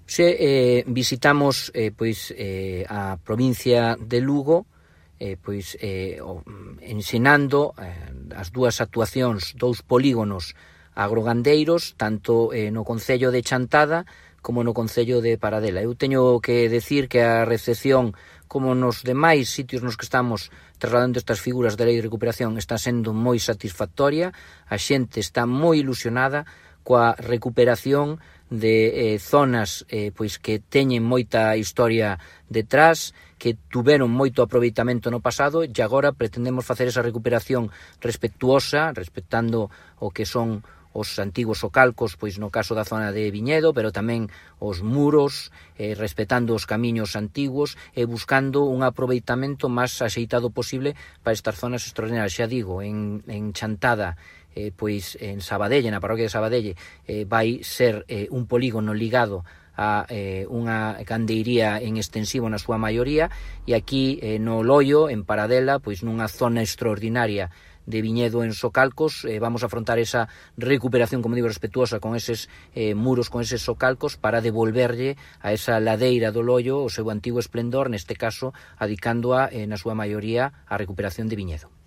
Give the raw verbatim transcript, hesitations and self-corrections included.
Se eh, visitamos eh, pois eh, a provincia de Lugo, eh, pois eh, o, ensinando eh, as dúas actuacións, dous polígonos agrogandeiros, tanto eh, no concello de Chantada como no concello de Paradela. Eu teño que decir que a recepción, como nos demais sitios nos que estamos trasladando estas figuras da Lei de Recuperación, está sendo moi satisfactoria. A xente está moi ilusionada coa recuperación de eh, zonas eh, pois que teñen moita historia detrás, que tuveron moito aproveitamento no pasado, e agora pretendemos facer esa recuperación respetuosa, respectando o que son os antigos socalcos, pois no caso da zona de Viñedo, pero tamén os muros, eh, respetando os camiños antigos e buscando un aproveitamento máis axeitado posible para estas zonas extraordinarias. Xa digo, en, en Chantada, eh, pois en Sabadelle, na parroquia de Sabadelle, eh, vai ser eh, un polígono ligado a eh, unha gandeiría en extensivo na súa maioría, e aquí eh, no Loio, en Paradela, pois nunha zona extraordinaria de viñedo en socalcos, eh, vamos a afrontar esa recuperación, como digo, respetuosa con eses eh, muros, con eses socalcos, para devolverlle a esa ladeira do Loio o seu antigo esplendor, neste caso, adicándoa eh, na súa maioría á recuperación de viñedo.